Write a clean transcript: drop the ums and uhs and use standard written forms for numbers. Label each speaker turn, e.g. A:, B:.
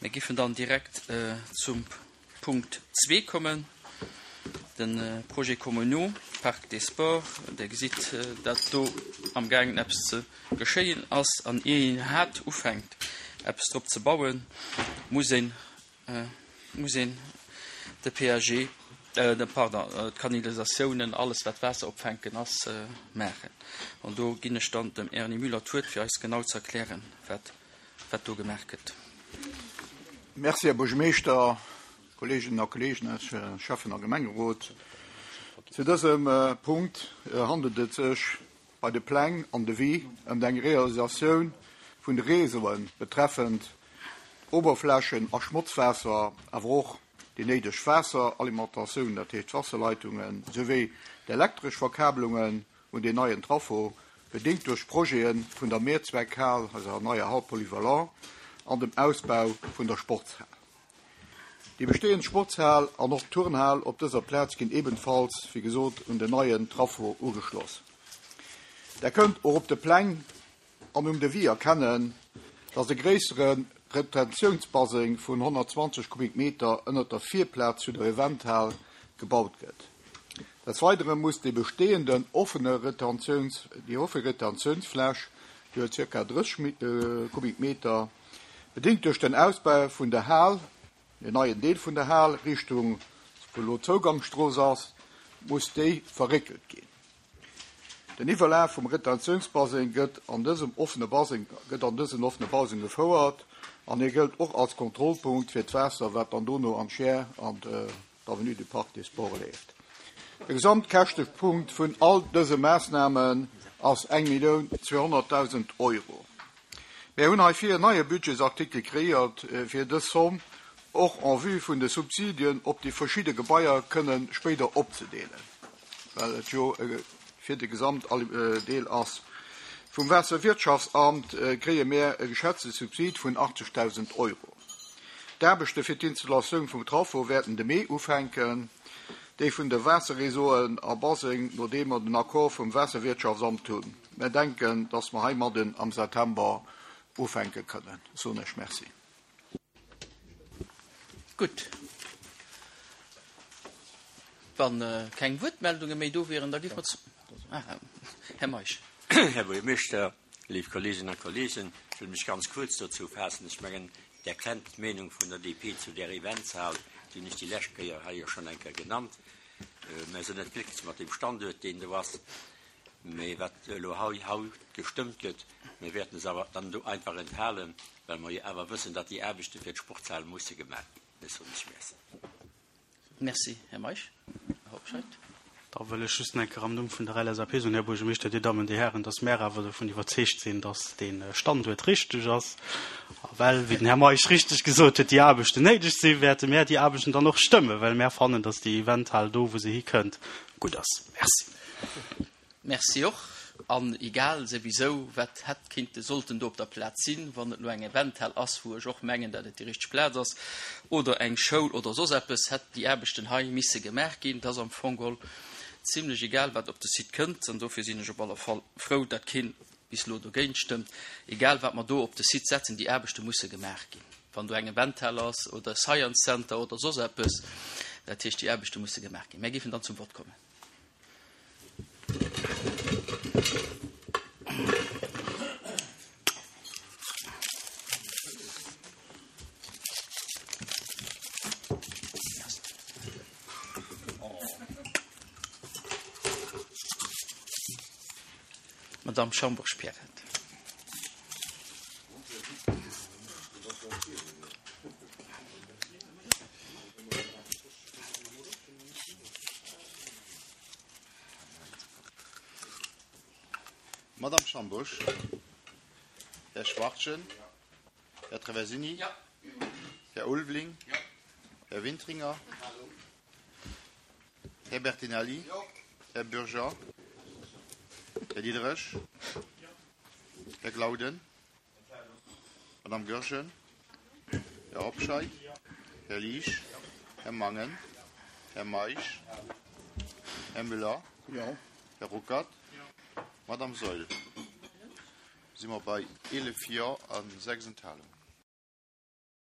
A: Mir giffen dann direkt zum Punkt zwee kommen, de Projet communaux Parc des Sports. Der gesitt, dat do amgaangen eppes ze geschéien ass. An ier een iwwerhaapt ufänkt, eppes drop ze bauen, muss een, muss een de PAG, pardon, d'Kanalisatiounen, alles wat Waasser opfänken ass, maachen. An do ginn ech dann dem Erny Müller d'Wuert, fir eis genau ze erklären, wat wat do gemaach gëtt.
B: Merci, Här Buergermeeschter, Kolleeginnen a Kolleegen aus Schäffen a Gemengerot. Zu dësem Punkt handelt et sech bei de Pläng an Devis ëm eng Realisatioun vun de Réseaue betreffend Oberflächen a Schmotzwaasser, awer och déi néideg Waasseralimentatioun, dat heescht d'Wasserleitungen, souwéi d'elektresch Verkabelungen un deen neien Traffo, bedéngt duerch d'Projete vun der Mehrzweckhal, eiser neier Hall polyvalent, an dem Ausbau vun der Sportshal. Déi bestehend Sportshal an och d'Turnhal op dëser Plaz ginn ebenfalls, wéi gesot, un den neien Traffo ugeschloss. Der kënnt och op de Pläng an um Devis erkennen, dass e gréissere Retentiounsbaseng vun 120 Kubikmeter ënnert der Virplaz zu der Eventhal gebaut gëtt. Des Weidere muss déi bestehenden offene Retentiouns, déi offe Retentiounsfläch, déi huet zirka 30 Kubikmeter, bedéngt duerch den Ausbau vun der Hal, den neien Deel vun der Hal Richtung wou elo d'Zougangsstrooss ass, muss déi verréckelt ginn. Den Iwwerlaf vum Retentiounsbaseng gëtt an dësem offene Baseng gëtt an dësen offene Baseng gefouert an hie gëllt och als Kontrollpunkt fir d'Waasser, wat dann dono an d'Schär an d'Avenue du Parc des Sports leeft. De Gesamtkäschtepunkt vun all dëse Maassnamen ass 1.200.000 Euro. Mär hunn heifir en neie Budgetsartikel kreéiert, fir dës Zomm och en vue vun de Subsidien op déi verschidde Gebaier kënne spéider opzedeelen, well et jo fir de Gesamtdeel ass. Vum Waasserwirtschaftsamt kréie mär e geschätzte Subsid vun 80.000 Euro. D'Aarbechte fir d'Installatioun vum Traffo wäerten de Mee ufänken, déi vun de Waasserreseauen a Baseng, nodeem mer den Accord vum Waasserwirtschaftsamt hunn. Mär denken, dass mer heimadden am September ufänke kënnen, soen ech Merci.
A: Gutt. Wa keng Wuertmeldunge méi do wieren, da géife mer zu, ah, Här Meisch.
C: Här Buergermeeschter, léif Kolleeginnen a Kolleegen, ech wëll mech ganz kuerz dozou faassen. Ech mengen, Der kennt d'Meenung vun der DP zu där Eventshal, déi hunn ech déi lescht Kéier hei jo schonn eng Kéier genannt. Mär sinn net glécklech mat deem Standuert, deen do ass. Mee wat elo hei haut gestëmmt gëtt, mir wäerten es awer dann do einfach enthalen, well mer jo awer wëssen, datt déi Aarbechte fir d'Sportshal musse gemaach ginn. Ech soen lech Merci.
A: Merci, Här Meisch. Här Hobscheit.
D: Da wëll ech just nach eng Kéier am Numm vun der LSAP soen, Här Buergermeeschter, Dir Dammen, Dir Hären, datt mär awer dovun iwwerzeegt sinn, datt dee Standuert richteg ass. A well, wéi den Här Meisch richteg gesot huet, déi Aarbechten néideg sinn, wäerte mär déi Aarbechten dann och stëmmen, well mär fannen, datt déi Eventhal do, wou se hikënnt, gutt ass. Merci.
A: Merci och. An egal souwisou, wat hätt kinnte sollten do op der Plaz sinn, wann et elo eng Eventhal ass, wou ech och mengen, dat et déi richteg Plaz ass, oder eng Schoul oder soss eppes, hätt déi Aarbechten hei misse gemaach ginn. Et ass am Fong geholl zimlech egal, wat op de Site kënnt. An dofir sinn ech op alle Fall frou, dat keen bis elo dogéint stëmmt. Egal, wat mer do op de Site setzen, déi Aarbechte musse gemaach ginn. Wann do eng Eventhal ass oder e Science Center oder soss eppes, dat heescht, déi Aarbechte musse gemaach ginn. Mär géifen dann zum Vott kommen. Madame Schambourg-Pierrette.
E: Madame Schambusch, Här Schwachtgen, Här Traversini, Här Ulveling, Här Wintringer, Här Bertinelli, Här Bürger, Här Diderich, Här Glauden, Madame Goergen, Här Hobscheit, Här Liesch, Här Mangen, Här Meisch, Här Müller, Här Ruckert, Madame Saeul. Si mer bei 11 Jo a 6 Enthalungen.